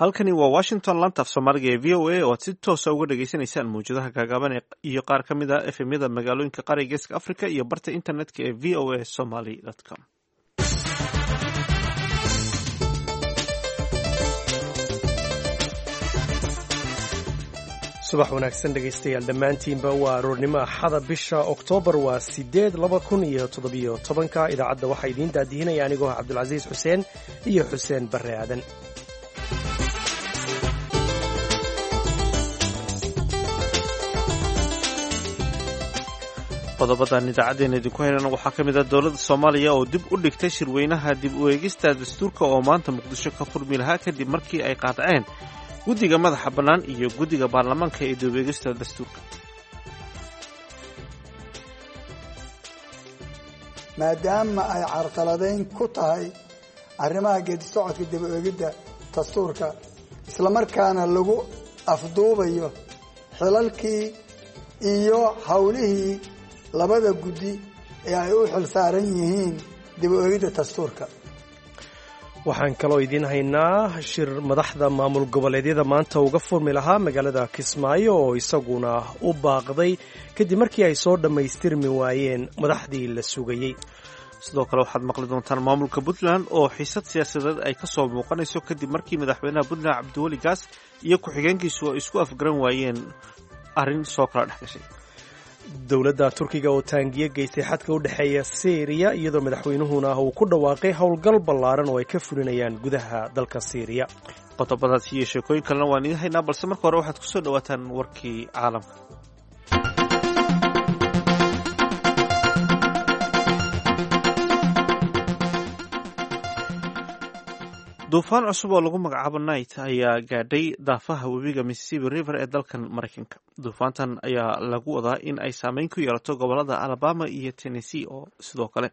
Halkani waa Washington, laanta af Soomaaliga ee VOA oo aad si toosa uga dhagaysanaysaan mawjadaha gaagaaban iyo qaar ka mid ah FM-yada magaalooyinka qaariga Geeska Africa iyo barta internetka ee voasomali.com. Subax wanaagsan, dhegaystayaal dhammaantiinba. Waa aroornimo Axada, bisha Oktoobar waa 8, 2017-ka. Idaacadda waxaa idiin daadihinaya anigoo ah Cabdulcasiis Xuseen iyo Xuseen Barre Aadan. Qodobadan idaacaddeenna idinku haynana waxaa ka mid ah dowladda Soomaaliya oo dib u dhigtay shirweynaha dib u eegista dastuurka oo maanta Muqdisho ka furmi lahaa, kadib markii ay qaadaceen guddiga madaxa bannaan iyo guddiga baarlamaanka ee dib u eegista dastuurka. Maadaama ay carqaladayn ku tahay arrimaha geedi socodka dib u eegidda dastuurka, islamarkaana lagu afduubayo xilalkii iyo howlihii labada guddi ee ay u xil saaran yihiin dib u eegidda dastuurka. Waxaan kaloo idiin haynaa shir madaxda maamul goboleedyada maanta uga furmi lahaa magaalada Kismaayo oo isaguna u baaqday kadib markii ay soo dhammaystirmi waayeen madaxdii la sugayey. Sidoo kale waxaad maqli doontaan maamulka Puntland oo xiisad siyaasadeed ay ka soo muuqanayso, kadib markii madaxweynaha Puntland Cabdiweli Gaas iyo ku-xigeenkiisu ay isku afgaran waayeen arrin soo kala dhex gashay. Dowladda Turkiga oo taangiyo geystay xadka u dhexeeya Siiriya, iyadoo madaxweynuhuna uu ku dhawaaqay howlgal ballaaran oo ay ka fulinayaan gudaha dalka Siiriya. Qodobadaas iyo sheekooyin kalena waan idiin haynaa, balse marka hore waxaad kusoo dhawaataan warkii caalamka. Duufaan cusub oo lagu magacaabo Night ayaa gaadhay daafaha webiga Mississippi River ee dalkan Maraykanka. Duufaantan ayaa lagu wadaa in ay saameyn ku yeelato gobolada Alabama iyo Tennessee oo sidoo kale.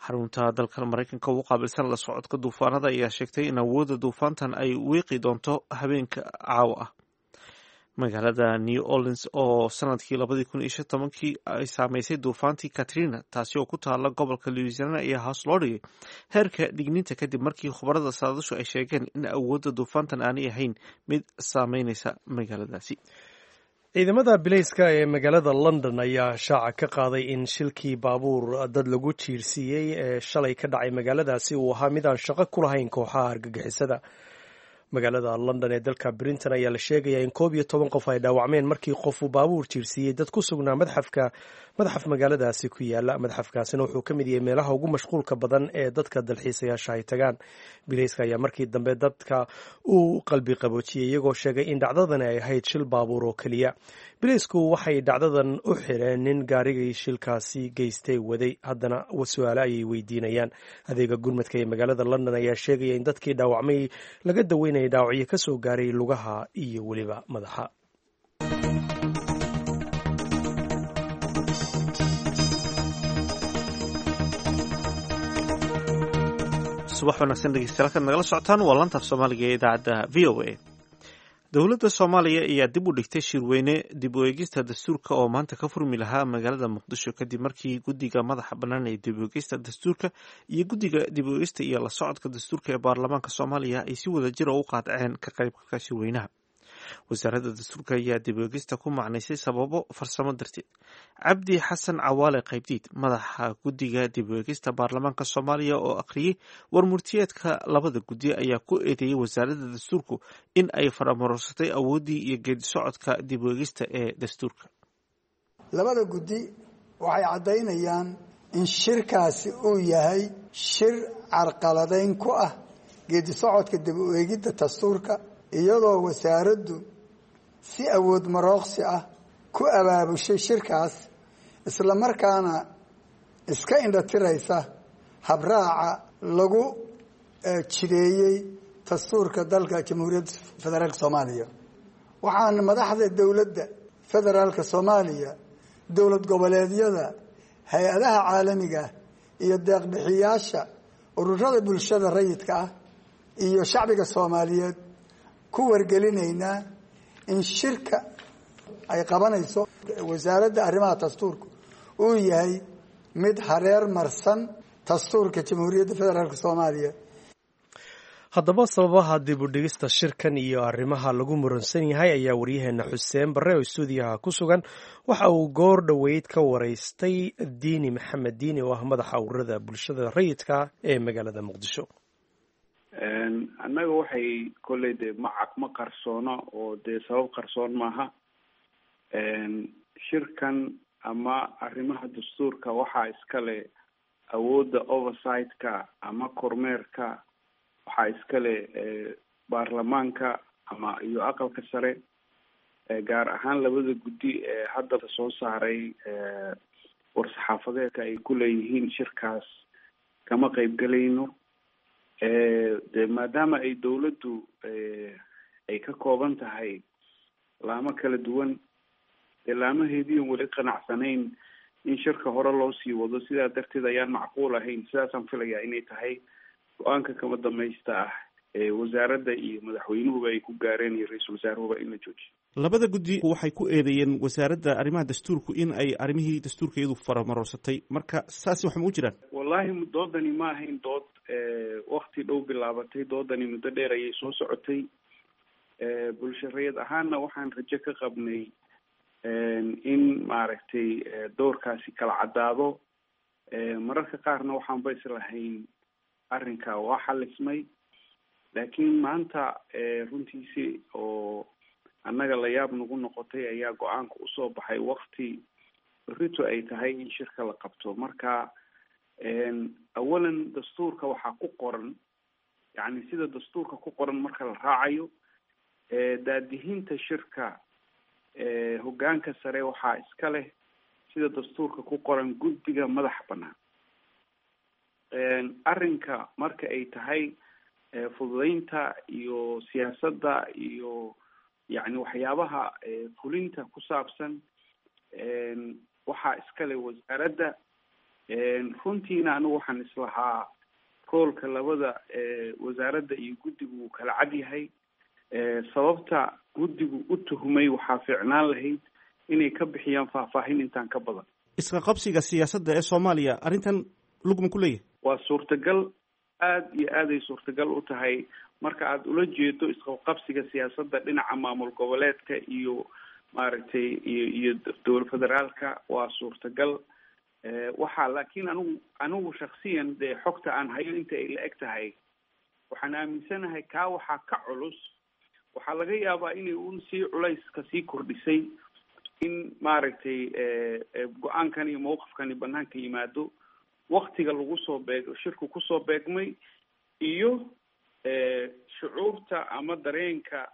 Xarunta dalkan Maraykanka ugu qaabilsan la socodka duufaanada ayaa sheegtay in awoodda duufaantan ay wiiqi doonto habeenka caawa ah. Magaalada New Orleans oo sanadkii 2015-kii ay saameysay duufaantii Katrina, taasi oo ku taala gobolka Louisiana, ayaa hoos loo dhigay heerka digniinta, kadib markii khubarada saadashu ay sheegeen in awoodda duufaantan aanay ahayn mid saameynaysa magaaladaasi. Ciidamada bilayska ee magaalada London ayaa shaaca ka qaaday in shilkii baabuur dad lagu jiirsiiyey ee shalay ka dhacay magaaladaasi uu ahaa mid aan shaqo ku lahayn kooxaha argagixisada. Magaalada London ee dalka Britain ayaa la sheegayaa in 11 qof ay dhaawacmeen markii qofuu baabuur jiirsiiyey dad ku sugnaa madxafka, madxaf magaaladaasi ku yaala. Madxafkaasina wuxuu ka mid yahay meelaha ugu mashquulka badan ee dadka dalxiisayaasha ay tagaan. Bilayska ayaa markii dambe dadka u qalbi qaboojiyey, iyagoo sheegay in dhacdadani ay ahayd shil baabuur oo keliya. Bilaysku waxay dhacdadan u xireen nin gaarigii shilkaasi geystay waday, haddana su-aale ayay weydiinayaan. Adeega gurmadka ee magaalada London ayaa sheegaya in dadkii dhaawacmay laga daweynaya dhaawacyo ka soo gaaray lugaha iyo weliba madaxa. Subax wanaagsan, dhegeystayaal. Halkaad nagala socotaan waa laanta af Soomaaliga ee idaacadda VOA. Dowladda Soomaaliya ayaa dib u dhigtay shirweyne dib u eegista dastuurka oo maanta ka furmi lahaa magaalada Muqdisho, kadib markii guddiga madaxa bannaan ee dib u eegista dastuurka iyo guddiga dib u eegista iyo la socodka dastuurka ee baarlamaanka Soomaaliya ay si wada jira u qaadaceen ka qaybgalka shirweynaha. Wasaaradda dastuurka ayaa dib u eegista ku macnaysay sababo farsamo darteed. Cabdi Xasan Cawaale Qaybdiid, madaxa guddiga dib u eegista baarlamaanka Soomaaliya oo akhriyey warmurtiyeedka labada guddi, ayaa ku eedeeyey wasaaradda dastuurku in ay faramaroorsatay awooddii iyo geedi socodka dib u eegista ee dastuurka. Labada guddi waxay caddaynayaan in shirkaasi uu yahay shir carqaladayn ku ah geedi socodka dib u eegidda dastuurka, iyadoo wasaaraddu si awood marooqsi ah ku abaabushay shirkaas, islamarkaana iska indhatiraysa habraaca lagu jideeyey dastuurka dalka Jamhuuriyadda Federaalka Soomaaliya. Waxaan madaxda dowladda federaalka Soomaaliya, dowlad goboleedyada, hay-adaha caalamiga iyo deeqbixiyaasha, ururada bulshada rayidka ah iyo shacbiga Soomaaliyeed ku wargelinaynaa in shirka ay qabanayso wasaaradda arrimaha dastuurka uu yahay mid hareer marsan dastuurka Jamhuuriyadda Federaalka Soomaaliya. Haddaba sababaha dib u dhigista shirkan iyo arrimaha lagu muransan yahay ayaa waryaheena Xuseen Barre oo stuudiyaha ku sugan waxa uu goor dhoweyd ka waraystay Diini Maxamed Diini oo ah madaxa ururada bulshada rayidka ee magaalada Muqdisho. Annaga waxay kolley dee macag ma qarsoono oo dee sabab qarsoon maaha. Shirkan ama arrimaha dastuurka waxaa iskale awoodda oversight-ka ama kormeerka, waxaa iskale baarlamaanka ama iyo aqalka sare, gaar ahaan labada guddi ee hadda soo saaray war-saxaafadeedka ay ku leeyihiin shirkaas kama qeybgelayno. De maadaama ay dawladdu ay ka kooban tahay laamo kala duwan, dee laamaheediion weli qanacsanayn in shirka hore loo sii wado, sidaa darteed ayaan macquul ahayn. Sidaasaan filayaa inay tahay go-aanka kama dambaysta ah ee wasaaradda iyo madaxweynuhuba ay ku gaareen iyo ra-iisul wasaaruhuba in la joojiyo. Labada guddi waxay ku eedeeyeen wasaaradda arrimaha dastuurku in ay arrimihii dastuurka iyadu faramarorsatay, marka saasi wax ma u jiraan? Wallahi doodani ma ahayn dood wakti dhow bilaabatay, doodani muddo dheer ayay soo socotay. Bulsho rayid ahaanna waxaan rajo ka qabnay in maaragtay doorkaasi kala caddaado. Mararka qaarna waxaanba islahayn arrinka waa xalismay, laakiin maanta runtiisi oo annaga la yaab nagu noqotay ayaa go-aanka usoo baxay wakti rito ay tahay in shirka la qabto. Marka awalan dastuurka waxaa ku qoran, yacni sida dastuurka ku qoran marka la raacayo daadihinta shirka, hoggaanka sare waxaa iska leh sida dastuurka ku qoran guddiga madaxa bannaan. Arrinka marka ay tahay fududeynta iyo siyaasadda iyo yacni waxyaabaha fulinta ku saabsan waxaa iska leh wasaaradda. Runtiina anigu waxaan islahaa roolka labada wasaaradda iyo guddigu wuu kala cad yahay. Sababta guddigu u tuhmay waxaa fiicnaan lahayd inay ka bixiyaan faahfaahin intaan ka badan. Iska qabsiga siyaasadda ee Soomaaliya arrintan lugma ku leeyahay? Waa suurtagal, aada iyo aaday suurtagal u tahay marka aada ula jeedo isqabqabsiga siyaasadda dhinaca maamul goboleedka iyo maaragtay iyo dowlad federaalka, waa suurtagal. Waxaa laakiin anigu shaksiyan dee xogta aan hayo inta ay la eg tahay waxaan aaminsanahay kaa waxaa ka culus, waxaa laga yaabaa inay un sii culayska sii kordhisay in maaragtay go-aankan iyo mawqifkani banaanka yimaado waktiga lagu soo beeg shirku kusoo beegmay iyo shucuurta ama dareenka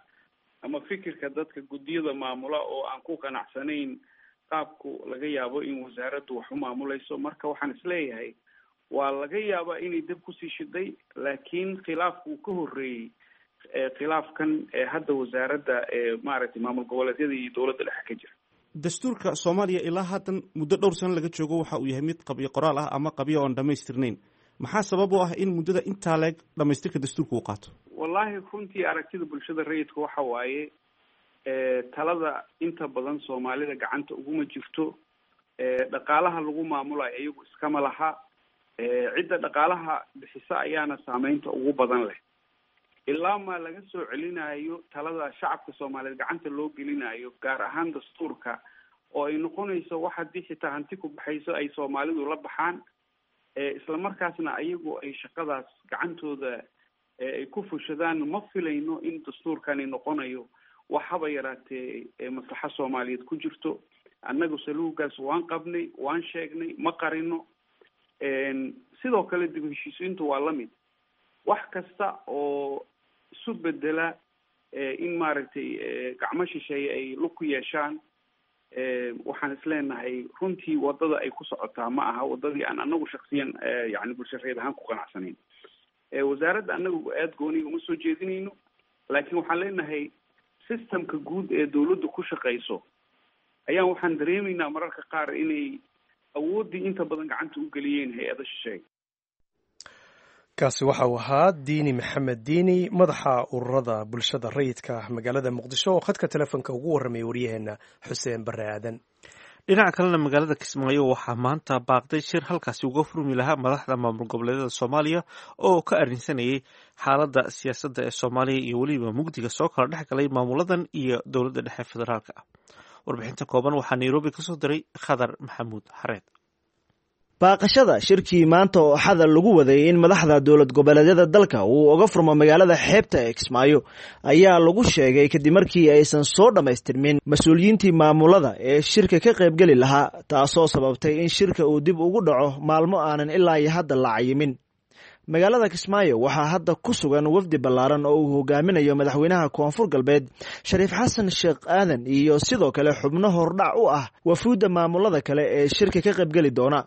ama fikirka dadka guddiyada maamula oo aan ku qanacsanayn qaabku laga yaabo in wasaaraddu wax u maamulayso. Marka waxaan isleeyahay waa laga yaabaa inay dab kusii shiday, laakiin khilaafku uu ka horreeyey khilaafkan hadda wasaaradda maaragtay maamul goboleedyada iyo dowladda dhexe ka jira. Dastuurka Soomaaliya ilaa haatan muddo dhowr sano laga joogo waxa uu yahay mid qabyo qoraal ah ama qabyo oon dhamaystirnayn. Maxaa sabab u ah in muddada intaa leeg dhamaystirka dastuurka uu qaato? Wallahi runtii aragtida bulshada rayidka waxa waaye talada inta badan Soomaalida gacanta uguma jirto. Dhaqaalaha lagu maamulayo iyagu iskama laha, cidda dhaqaalaha bixisa ayaana saameynta ugu badan leh. Ilaa maa laga soo celinayo talada shacabka Soomaaliyeed gacanta loo gelinayo, gaar ahaan dastuurka oo ay noqonayso wax haddii xitaa hanti ku baxayso ay Soomaalidu la baxaan, isla markaasna ayagu ay shaqadaas gacantooda ay ku fushadaan, ma filayno in dastuurkani noqonayo wax haba yaraatee maslaxa Soomaaliyeed ku jirto. Annagu saluugaas waan qabnay, waan sheegnay, ma qarino. Sidoo kale dib u heshiisiintu waa la mid, wax kasta oo isu bedela in maaragtay gacmo shisheeye ay lug ku yeeshaan, waxaan isleenahay runtii waddada ay ku socotaa ma aha waddadii aan anagu shaksiyan yani bulsho reed ahaan ku qanacsanayn. Wasaaradda anagu aada gooniga uma soo jeedinayno, laakiin waxaan leenahay systemka guud ee dawladdu ku shaqayso ayaan waxaan dareemaynaa mararka qaar inay awooddii inta badan gacanta u geliyeen hay-ada shisheeye. Kaasi waxa uu ahaa Diini Maxamed Diini, madaxa ururada bulshada rayidka magaalada Muqdisho, oo khadka telefoonka ugu warramayay waryaheena Xuseen Barre Aadan. Dhinaca kalena, magaalada Kismaayo waxaa maanta baaqday shir halkaasi uga furmi lahaa madaxda maamul goboleedyada Soomaaliya oo ka arrinsanayay xaaladda siyaasadda ee Soomaaliya iyo weliba mugdiga soo kala dhex galay maamuladan iyo dowladda dhexe federaalka ah. Warbixinta kooban waxaa Nairobi kasoo diray Khadar Maxamuud Xareed. Baaqashada shirkii maanta oo Axada lagu waday in madaxda dowlad goboleedyada dalka uu uga furmo magaalada xeebta ee Kismaayo ayaa lagu sheegay kadib markii aysan soo dhammaystirmin mas-uuliyiintii maamulada ee shirka ka qaybgeli lahaa, taasoo sababtay in shirka uu dib ugu dhaco maalmo aanan ilaa iyo hadda la cayimin. Magaalada Kismaayo waxaa hadda ku sugan wafdi ballaaran oo uu hogaaminayo madaxweynaha Koonfur Galbeed, Shariif Xasan Sheekh Aadan, iyo sidoo kale xubno hordhac u ah wafuudda maamulada kale ee shirka ka qaybgeli doona.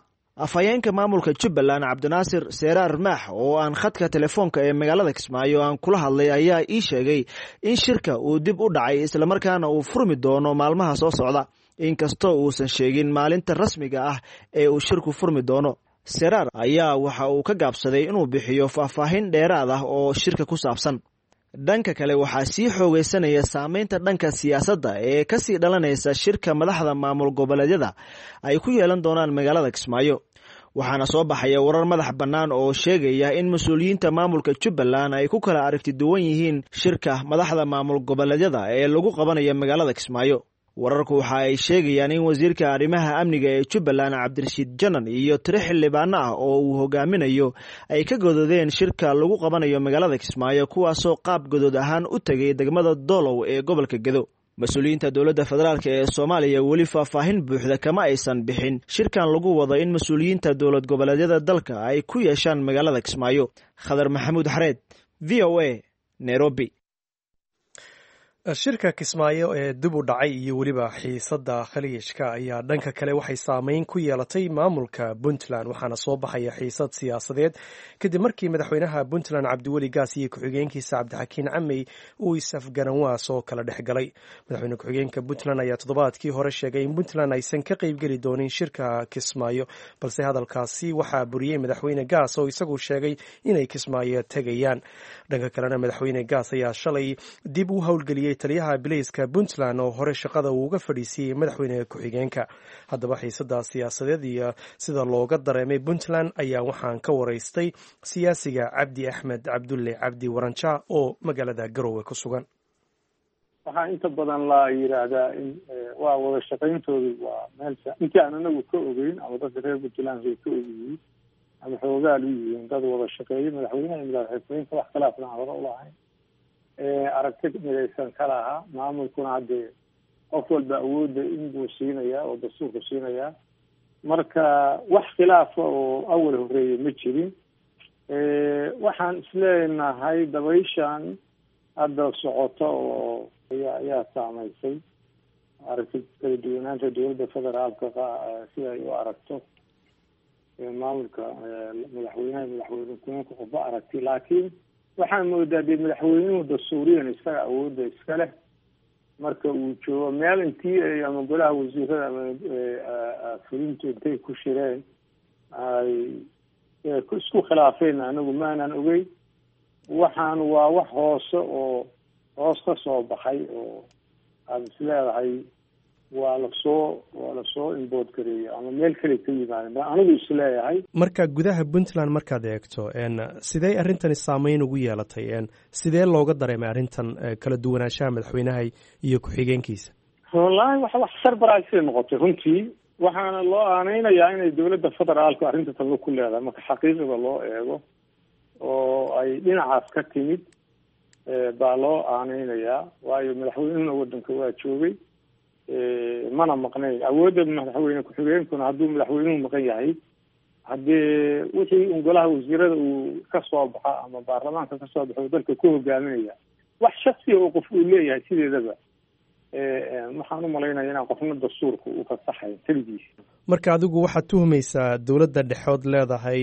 Afhayeenka maamulka Jubbaland, Cabdinaasir Seeraar Maax, oo aan khadka telefoonka ee magaalada Kismaayo aan kula hadlay, ayaa ii sheegay in shirka uu dib u dhacay islamarkaana uu furmi doono maalmaha soo socda, inkastoo uusan sheegin maalinta rasmiga ah ee uu shirku furmi doono. Seraar ayaa waxa uu ka gaabsaday inuu bixiyo faahfaahin dheeraad ah oo shirka ku saabsan. Dhanka kale, waxaa sii xoogeysanaya saameynta dhanka siyaasadda ee kasii dhalanaysa shirka madaxda maamul goboleedyada ay ku yeelan doonaan magaalada Kismaayo, waxaana soo baxaya warar madax bannaan oo sheegaya in mas-uuliyiinta maamulka Jubbaland ay ku kala aragti duwan yihiin shirka madaxda maamul goboleedyada ee lagu qabanayo magaalada Kismaayo. Wararku waxa ay sheegayaan in wasiirka arrimaha amniga ee Jubbaland, Cabdirashiid Janan, iyo tiro xildhibaano ah oo uu hogaaminayo ay ka gododeen shirka lagu qabanayo magaalada Kismaayo, kuwaasoo qaab godood ahaan u tegay degmada Doolow ee gobolka Gedo. Mas-uuliyiinta dowladda federaalk ee Soomaaliya weli faahfaahin buuxda kama aysan bixin shirkan lagu wado in mas-uuliyiinta dowlad goboleedyada dalka ay ku yeeshaan magaalada Kismaayo. Khadar Maxamuud Xareed, VOA, Nairobi. Shirka Kismaayo ee dib u dhacay iyo weliba xiisadda Khaliijka ayaa dhanka kale waxay saameyn ku yeelatay maamulka Puntland, waxaana soo baxaya xiisad siyaasadeed kadib markii madaxweynaha Puntland, Cabdiweli Gaas, iyo ku-xigeenkiisa Cabdixakiin Camey uu is-afgaranwaa soo kala dhex galay. Madaxweyne ku-xigeenka Puntland ayaa toddobaadkii hore sheegay in Puntland aysan ka qeybgeli doonin shirka Kismaayo, balse hadalkaasi waxaa buriyey madaxweyne Gaas oo isagu sheegay inay Kismaayo tegayaan. Dhanka kalena, madaxweyne Gaas ayaa shalay dib u howlgeliyey taliyaha bilayska Puntland oo hore shaqada uu uga fadhiisiyey madaxweyne ku-xigeenka. Haddaba, xiisada siyaasadeed iyo sida looga dareemay Puntland ayaa waxaan ka waraystay siyaasiga Cabdi Axmed Cabdulle Cabdi Waranjaa oo magaalada Garowe ku sugan. Waxaa inta badan la yidhaahdaa in waa wada shaqayntoodu waa meel intii aan anagu ka ogeyn ama dadka reer Puntland ay ka ogyihiin ama xoogaal u yihiin, dad wada shaqeeya madaxweynaha iyo madaxxigeenka, wax khilaafna aan hore ulahayn, aragti midaysan ka lahaa. Maamulkuna haddee qof walba awoodda inbuu siinayaa oo dastuurku siinayaa, marka wax khilaafa oo awal horeeya ma jirin. Waxaan isleenahay dabayshan hadda socota oo ayaa saameysay aragti kala duwanaanta dowladda federaalka sida ay u aragto maamulka madaxweynaha, madaxweyne ku-xigeenka, qofba aragti. Laakiin waxaan moodaa dee madaxweynuhu dastuuriyan isaga awoodda iska leh marka uu joogo meel intii ama golaha wasiirada ama fulintu intay ku shireen ay isku khilaafeen, anagu maanan ogey. Waxaan waa wax hoose oo hoos ka soo baxay oo aada is leedahay waa lasoo imbood gareeyo ama meel kale ka yimaadeen ba anigu is leeyahay. Marka gudaha Puntland markaad eegto, sidee arrintani saameyn ugu yeelatay? Sidee looga dareemay arrintan kala duwanaanshaha madaxweynaha iyo ku-xigeenkiisa? Wallaahi wax surprise noqotay runtii, waxaana loo aaneynayaa inay dowladda federaalku arrinta talo ku leedahay marka xaqiiqda loo eego, oo ay dhinacaas ka timid baa loo aaneynayaa, waayo madaxweynuhuna waddanka waa joogay mana maqnayn. Awoodda madaxweyne ku-xigeenkuna hadduu madaxweynuhu maqan yahay, haddee wixii un golaha wasiirada uu ka soo baxa ama baarlamaanka ka soo baxo dalka ku hogaaminaya, wax shaksiya oo qof uu leeyahay sideedaba waxaan u malaynaya inaan qofna dastuurka u fasaxayn keligiisa. Marka adigu waxaad tuhmaysaa dowladda dhexood leedahay,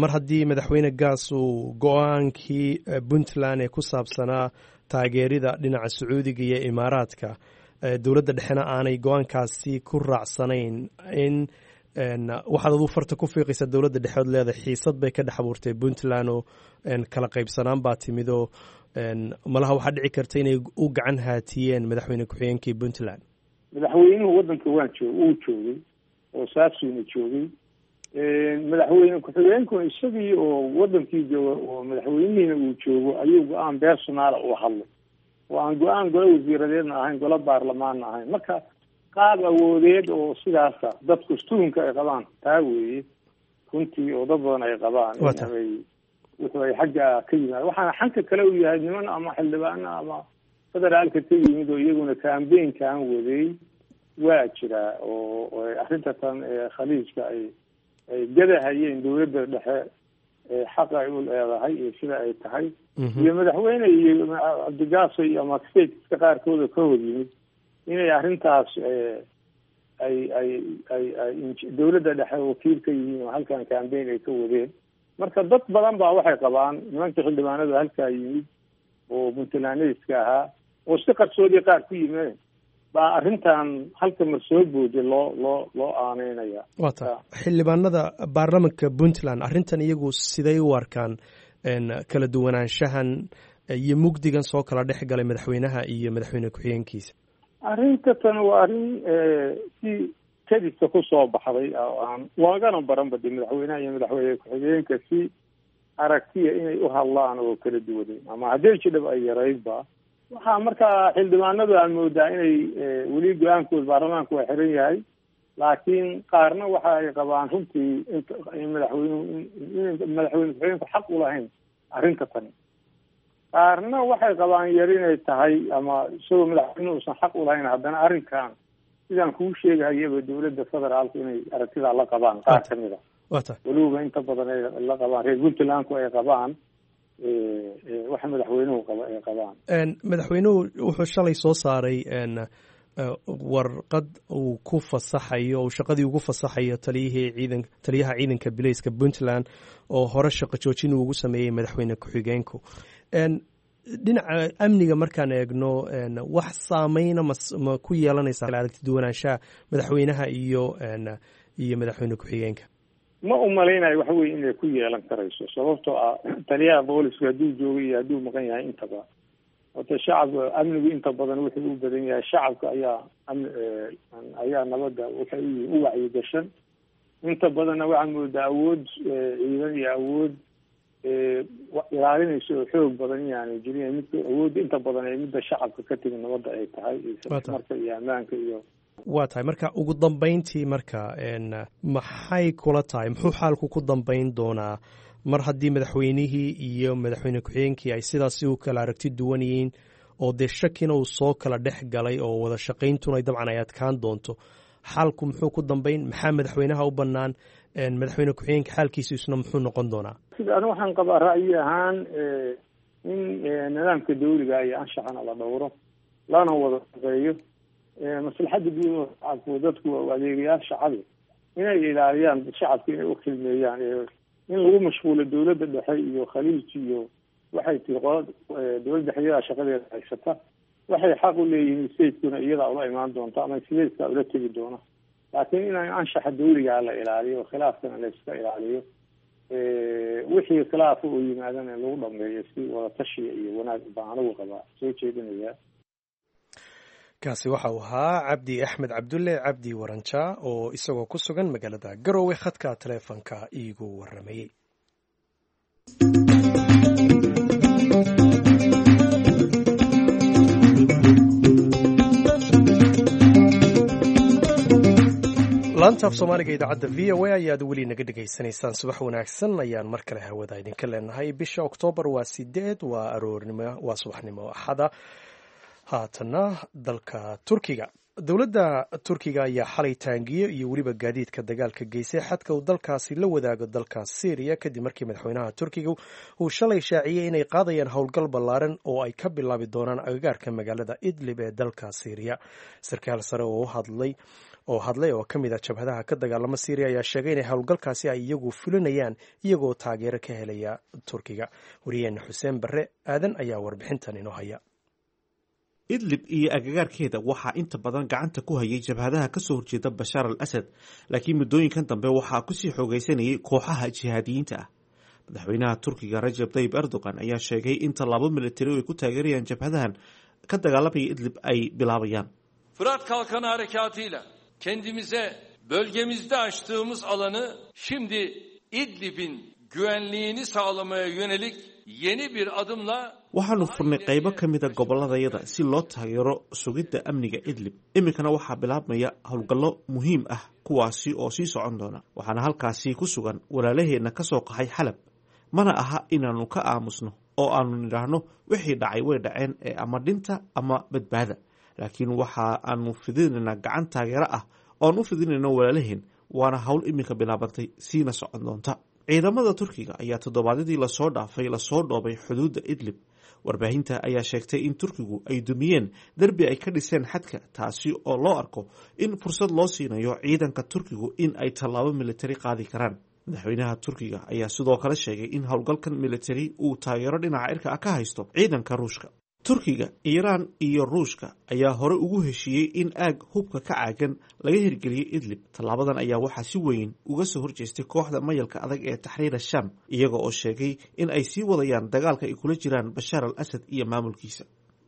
mar haddii madaxweyne Gaas uu go-aankii Puntland ee ku saabsanaa taageerida dhinaca Sacuudiga iyo Imaaraadka, dowladda dhexena aanay go-aankaasi ku raacsanayn, in waxaad aduu farta ku fiiqaysaa dowladda dhexood leedahay xiisad bay ka dhex abuurtay Puntland oo kala qaybsanaan baa timid, oo malaha waxaa dhici karta inay u gacan haatiyeen madaxweyne ku-xigeenkii Puntland. Madaxweynuhu waddanka waan joog uu joogay oo saasuuna joogay, madaxweyne ku-xigeenkuna isagii oo wadankii jooga oo madaxweynihiina uu joogo ayuu go-aan personaala uu hadlay, oo aan go-aan golo wasiiradeedna ahayn, golo baarlamaanna ahayn. Marka qaab awoodeed oo sidaasa dadku stuunka ay qabaan taa weeye runtii, oo dad badan ay qabaan inay wuxuu ay xagga ka yimaad. Waxaana xanka kale u yahay niman ama xildhibaano ama federaalka ka yimid oo iyaguna cambaynkan waday waa jiraa, oo arrinta tan khaliijka ay gadahayeen dawladda dhexe xaqa ay u leedahay iyo sida ay tahay, iyo madaxweyne iyo Cabdigaaso iyo ama stateska qaarkooda ka hor yimid inay arrintaas ay ay ay ay dawladda dhexe wakiil ka yihiin oo halkan cambaign ay ka wadeen. Marka dad badan baa waxay qabaan nimankii xildhibaanada halkaa yimid oo puntlandska ahaa oo si qarsoodii qaar ku yimeen baa arrintan halka mar soo booday loo aaneynaya. Waa ta xildhibaanada baarlamanka Puntland arrintan iyagu siday u arkaan kala duwanaanshahan iyo mugdigan soo kala dhex galay madaxweynaha iyo madaxweyne ku-xigeenkiisa? Arrinta tan waa arrin si kadista kusoo baxday oo aan loogana baranba de madaxweynaha iyo madaxweyne ku-xigeenka si aragtiya inay u hadlaan oo kala duwaneen ama haddii jidhab ay yaraydba. Waxaa markaa xildhibaanadu aan moodaa inay weli go-aankooda baarlamaanku waa xiran yahay, laakiin qaarna waxa ay qabaan runtii in madaxweynuhu in madaxweyne ku-xigeenku xaq ulahayn arrinta tani, qaarna waxay qabaan yar inay tahay ama isagoo madaxweynuhu uusan xaq ulahayn haddana arrinkan sidaan kuu sheegahayaba dawladda federaalku inay aragtidaa la qabaan qaar kamid a, weliba inta badan ay la qabaan reer Puntlandku ay qabaan waxa madaxweynuhu qaba ay qabaan. Madaxweynuhu wuxuu shalay soo saaray warqad uu ku fasaxayo, uu shaqadii ugu fasaxayo taliyihii ciidan, taliyaha ciidanka bileyska Puntland oo hore shaqo joojin uu ugu sameeyey madaxweyne ku-xigeenku. Dhinaca amniga markaan eegno, wax saameyna ma ku yeelanaysa aragti duwanaanshaha madaxweynaha iyo madaxweyne ku-xigeenka? Ma umalaynayo waxa weye inay ku yeelan karayso, sababtoo ah taliyaha boolisku hadduu joogo iyo hadduu maqan yahay intaba horta shacabka amnigu inta badan wuxuu u badan yahay shacabka ayaa amni ayaa nabadda waxay uyihiin u wacyigashan. Inta badanna waxaa moodaa awood ciidan iyo awood ilaalinaysa oo xoog badan inaanay jirin, midka awoodda inta badan ee midda shacabka ka timi nabadda ay tahay iyo marka iyo ammaanka iyo Waa tahay. Marka ugu dambeyntii, marka maxay kula tahay, muxuu xaalku ku dambeyn doonaa mar haddii madaxweynihii iyo madaxweyne ku-xigeenkii ay sidaasi u kala aragti duwan yihiin oo dee shakina uu soo kala dhex galay oo wada shaqayntuna dabcan ay adkaan doonto? Xaalku muxuu ku dambeyn? Maxaa madaxweynaha u bannaan? Madaxweyne ku-xigeenka xaalkiisu isna muxuu noqon doonaa? Sida anu waxaan qabaa ra'yi ahaan in nidaamka dawliga iyo anshaxana la dhowro lana wada shaqeeyo maslaxadda guud oo shacabku, dadku waa adeegayaal shacabi, inay ilaaliyaan shacabka, inay u khidmeeyaan. In lagu mashquulo dawladda dhexe iyo khaliij iyo waxay tihi qola dawladda dhexe iyadaa shaqadeeda haysata, waxay xaq u leeyihiin statekuna iyadaa ula imaan doonta ama statekaa ula tegi doona, laakiin inaan anshaxa dawligaa la ilaaliyo, khilaafkana la iska ilaaliyo, wixii khilaafa oo yimaadana in lagu dhameeyo si wada tashiya iyo wanaag baan anigu qabaa soo jeedinaya. Kaasi waxa uu ahaa Cabdi Axmed Cabdulle Cabdi Waranja oo isagoo ku sugan magaalada Garowe khadka taleefonka iigu waramayey. Laanta af Soomaaliga idaacadda VOA ayaad weli naga dhegaysanaysaan. Subax wanaagsan ayaan mar kale hawada idinka leenahay. Bisha Oktoobar waa 8, waa aroornimo, waa subaxnimo Axada. Haatana dalka Turkiga. Dowladda Turkiga ayaa xalay taangiyo iyo weliba gaadiidka dagaalka geysay xadka uu dalkaasi la wadaago dalka Syriya, kadib markii madaxweynaha Turkiga uu shalay shaaciyey inay qaadayaan howlgal ballaaran oo ay ka bilaabi doonaan agagaarka magaalada Idlib ee dalka Syriya. Sarkaal sare oo hadlay oo hadlay oo ka mid ah jabhadaha ka dagaalama Syriya ayaa sheegay inay howlgalkaasi ay iyagu fulinayaan iyagoo taageero ka helaya Turkiga. Wariyaheena Xuseen Barre Aadan ayaa warbixintan inoo haya. Idlib iyo agagaarkeeda waxaa inta badan gacanta ku hayay jabhadaha kasoo horjeeda Bashaar al Asad, laakiin muddooyinkan dambe waxaa kusii xoogaysanayay kooxaha jihaadiyiinta ah. Madaxweynaha Turkiga Rajab Tayyib Erdogan ayaa sheegay in tallaabo militari oo ay ku taageerayaan jabhadahan ka dagaalamaya Idlib ay bilaabayaan. Fırat Kalkanı Harekatı'yla kendimize bölgemizde açtığımız alanı şimdi İdlib'in güvenliğini sağlamaya yönelik yeni bir adımla Waxaanu furnay qaybo ka mida gobolladayada si loo taageero sugidda amniga Idlib. Iminkana waxaa bilaabmaya howlgallo muhiim ah, kuwaasi oo sii socon doona. Waxaana halkaasi ku sugan walaalaheenna ka soo qaxay Xalab. Mana aha inaannu ka aamusno oo aanu nidhaahno wixii dhacay way dhaceen ee ama dhinta ama badbaada, laakiin waxa aanu fidinaynaa gacan taageero ah ooan u fidinayno walaalaheen, waana hawl iminka bilaabantay siina socon doonta. Ciidamada Turkiga ayaa toddobaadyadii lasoo dhaafay lasoo dhoobay xuduudda Idlib. Warbaahinta ayaa sheegtay in Turkigu ay dumiyeen derbi ay ka dhiseen xadka, taasi oo loo arko in fursad loo siinayo ciidanka Turkigu in ay tallaabo militari qaadi karaan. Madaxweynaha Turkiga ayaa sidoo kale sheegay in howlgalkan militari uu taageero dhinaca cirka ah ka haysto ciidanka Ruushka. Turkiga, Iiraan iyo Ruushka ayaa hore ugu heshiiyey in aag hubka ka caagan laga hirgeliyey Idlib. Tallaabadan ayaa waxaa si weyn uga soo horjeestay kooxda mayalka adag ee Taxriir Ashaam, iyaga oo sheegay in ay sii wadayaan dagaalka ay kula jiraan Bashaar al Asad iyo maamulkiisa.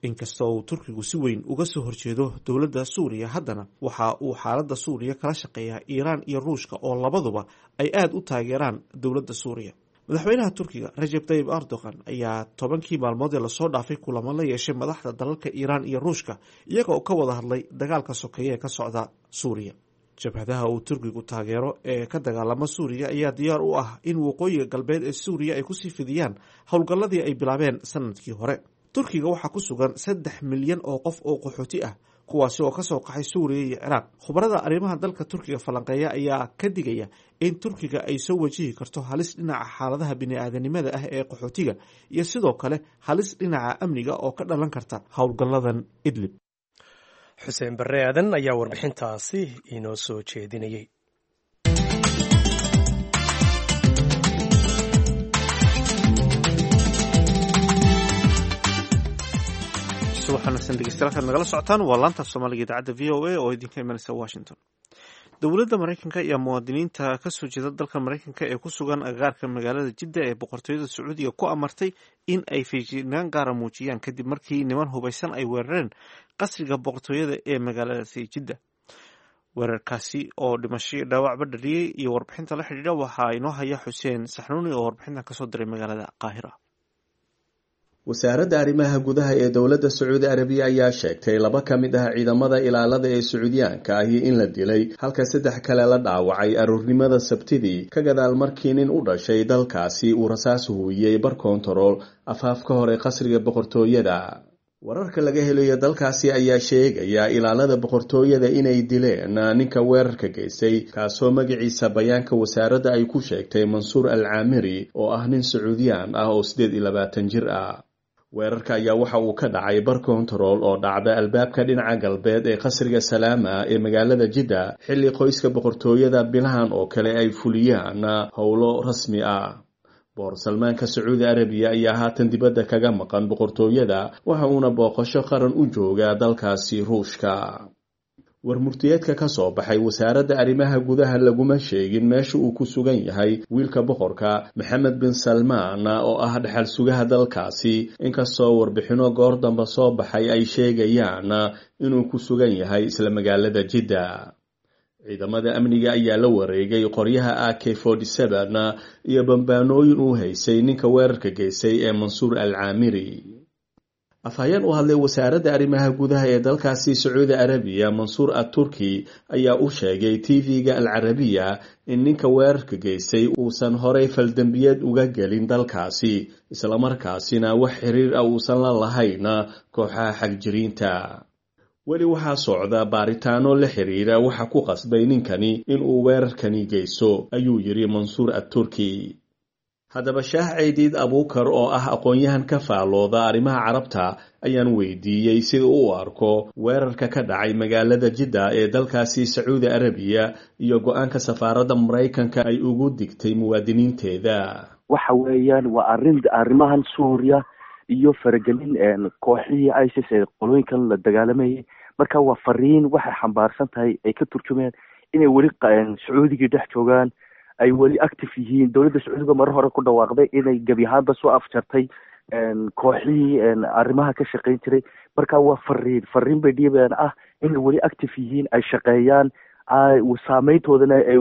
Inkastoo uu Turkigu si weyn uga soo horjeedo dowladda Suuriya, haddana waxa uu xaaladda Suuriya kala shaqeeyaa Iiraan iyo Ruushka oo labaduba ay aada u taageeraan dowladda Suuriya. Madaxweynaha Turkiga Rajeb Tayib Erdogan ayaa 10kii maalmood ee lasoo dhaafay kulamo la yeeshay madaxda dalalka Iiraan iyo Ruushka, iyaga oo ka wada hadlay dagaalka sokeeye ee ka socda Suuriya. Jabhadaha uu Turkigu taageero ee ka dagaalama Suuriya ayaa diyaar u ah in waqooyiga galbeed ee Suuriya ay kusii fidiyaan howlgalladii ay bilaabeen sanadkii hore. Turkiga waxaa ku sugan 3 milyan oo qof oo qaxooti ah, kuwaasi oo kasoo qaxay Suuriya iyo Ciraaq. Khubarada arrimaha dalka Turkiga falanqeeya ayaa ka digaya in Turkiga ay soo wajihi karto halis dhinaca xaaladaha bini-aadanimada ah ee qaxootiga iyo sidoo kale halis dhinaca amniga oo ka dhalan karta howlgalladan Idlib. Xuseen Barre Aadan ayaa warbixintaasi inoo soo jeedinayey. Subax wanaagsan dhegeystayaal, halkaad nagala socotaan waa laanta Soomaaliga idaacadda VOA oo idinka imanaysa Washington. Dowladda Maraykanka iyo muwaadiniinta kasoo jeeda dalka Maraykanka ee ku sugan agagaarka magaalada Jidda ee Boqortooyada Sacuudiga ku amartay in ay feejignaan gaara muujiyaan kadib markii niman hubaysan ay weerareen qasriga boqortooyada ee magaaladaasi Jidda, weerarkaasi oo dhimasho iyo dhaawacba dhaliyey. Iyo warbixinta la xidhiidha waxaa inoo haya Xuseen Saxnuuni oo warbixintan kasoo diray magaalada Qaahira. Wasaaradda arrimaha gudaha ee dowladda Sacuudi Arabiya ayaa sheegtay laba ka mid ah ciidamada ilaalada ee Sacuudiyaanka ahi in la dilay, halka saddex kale la dhaawacay aroornimada Sabtidii, ka gadaal markii nin u dhashay dalkaasi uu rasaas huwiyey bar koontarool afaafka hore qasriga boqortooyada. Wararka laga helayo dalkaasi ayaa sheegaya ilaalada boqortooyada inay dileen ninka weerarka geystay, kaasoo magaciisa bayaanka wasaaradda ay ku sheegtay Mansuur al Caamiri, oo ah nin Sacuudiyaan ah oo 28 jir ah. Weerarka ayaa waxa uu ka dhacay bar kontarool oo dhacda albaabka dhinaca galbeed ee qasriga Salaama ee magaalada Jidda, xilli qoyska boqortooyada bilahan oo kale ay fuliyaan howlo rasmi ah. Boor Salmaanka Sacuudi Arabiya ayaa haatan dibadda kaga maqan boqortooyada, waxa uuna booqasho qaran u joogaa dalkaasi Ruushka. Warmurtiyeedka ka soo baxay wasaaradda arrimaha gudaha laguma sheegin meesha uu ku sugan yahay wiilka boqorka Maxamed bin Salmaan oo ah dhexal sugaha dalkaasi, inkastoo warbixino goor dambe soo baxay ay sheegayaan inuu ku sugan yahay isla magaalada Jidda. Ciidamada amniga ayaa la wareegay qoryaha AK iyo bambaanooyin uu haysay ninka weerarka geystay ee Mansuur al Caamiri. Afhayeen u hadlay wasaaradda arrimaha gudaha ee dalkaasi Sacuudi Arabiya, Mansuur at Turki, ayaa u sheegay TV-ga Al Carabiya in ninka weerarka geystay uusan horey faldembiyeed uga gelin dalkaasi, islamarkaasina wax xiriir ah uusan la lahayn kooxaha xagjiriinta. Weli waxaa socda baaritaano la xiriira waxa ku qasbay ninkani inuu weerarkani geysto, ayuu yidhi Mansuur at Turki. Haddaba, Shaah Ceydiid Abuukar oo ah aqoon-yahan ka faalooda arrimaha Carabta ayaan weydiiyey sida u arko weerarka ka dhacay magaalada Jidda ee dalkaasi Sacuudi Arabiya iyo go-aanka safaaradda Maraykanka ay ugu digtay muwaadiniinteeda. Waxa weeyaan waa arrin arrimahan Suuriya iyo faragelin kooxihii ISIS ee qolooyinkan la dagaalamayay. Marka waa fariin waxay xambaarsan tahay ay ka turjumayaan inay weli Sacuudigii dhex joogaan, ay weli active yihiin. Dowladda Sacuudiga marar hore ku dhawaaqday inay gebi ahaanba soo afjartay kooxihii arrimaha ka shaqayn jiray. Marka waa fariin bay dhiibayaan ah inay weli active yihiin, ay shaqeeyaan, saameyntoodana ay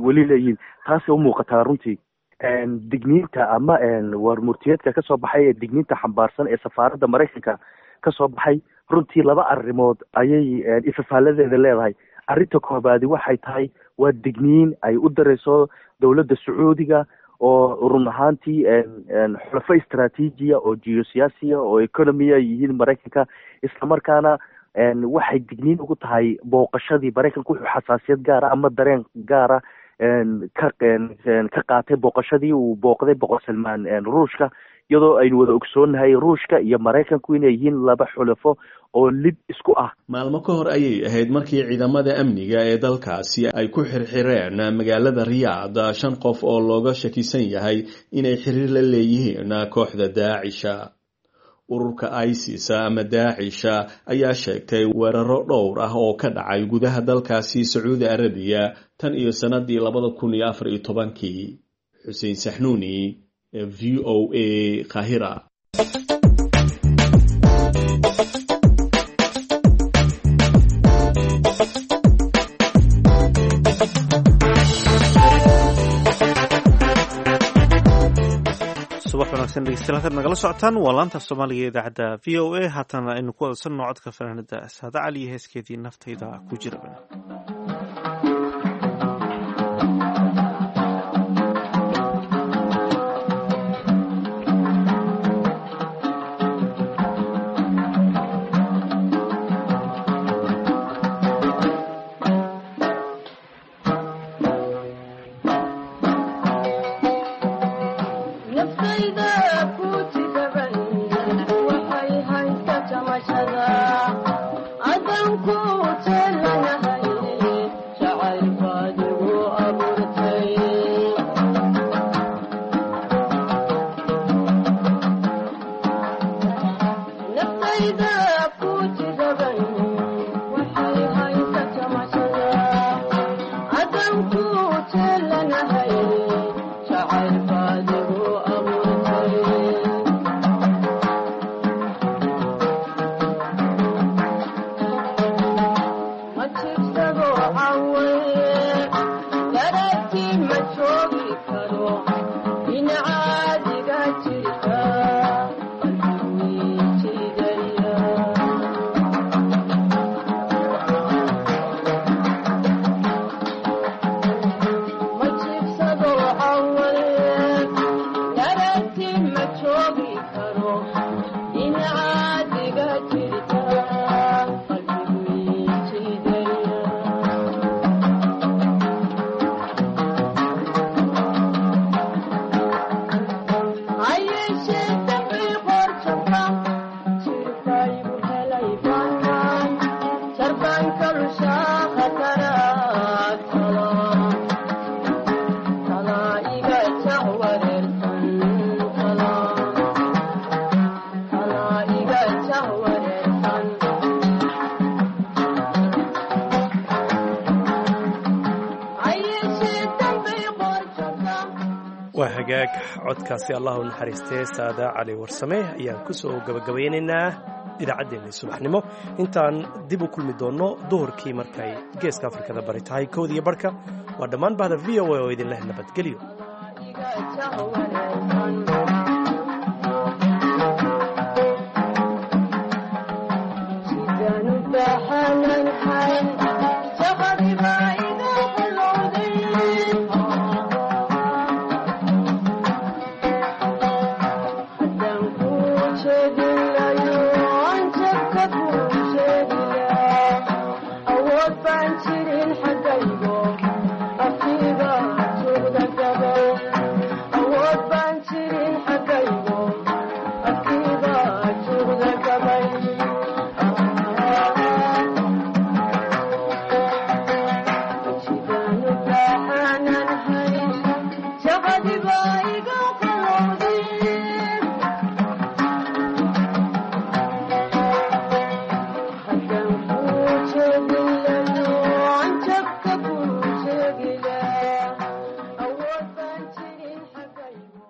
weli leeyihiin. Taasay u muuqataa runtii digniinta ama warmurtiyeedka kasoo baxay ee digniinta xambaarsan ee safaaradda Maraykanka kasoo baxay. Runtii laba arrimood ayay ifafaaladeeda leedahay. Arrinta koobaadi waxay tahay waa digniin ay u dareyso dowladda Sacuudiga oo run ahaantii xulafo istraatiijiya oo geosiyaasiya oo economia yihiin Maraykanka, islamarkaana waxay digniin ugu tahay booqashadii Maraykanka. Wuxuu xasaasiyad gaara ama dareen gaara ka qaatay booqashadii uu booqday Boqor Salmaan Ruushka, iyadoo aynu wada ogsoonnahay Ruushka iyo Maraykanku inay yihiin laba xulafo oo lid isku ah. Maalmo ka hor ayay ahayd markii ciidamada amniga ee dalkaasi ay ku xirxireen magaalada Riyaad 5 qof oo looga shakisan yahay inay xiriir la leeyihiin kooxda Daacisha. Ururka ISIS ama Daacisha ayaa sheegtay weeraro dhowr ah oo ka dhacay gudaha dalkaasi Sacuudi Arabiya tan iyo sanadii 2014. Xuseen Saxnuuni, VOA, Qaahira. Subax wanaagsan dhegeystayaal, halkaad nagala socotaan waa laanta Soomaaliga ee idaacadda VOA. Haatana aynu ku wadsanno codka fanaanada Saada Cali iyo heeskeedii Naftayda ku jira. Waa hagaag, codkaasi Allah u naxariistee Saada Cali Warsame ayaan ku soo gabagabaynaynaa idaacaddeenna subaxnimo. Intaan dib u kulmi doonno duhurkii markay Geeska Afrikada bari tahay 1:15, waa dhammaan bahda VOA oo idinleh nabadgelyo.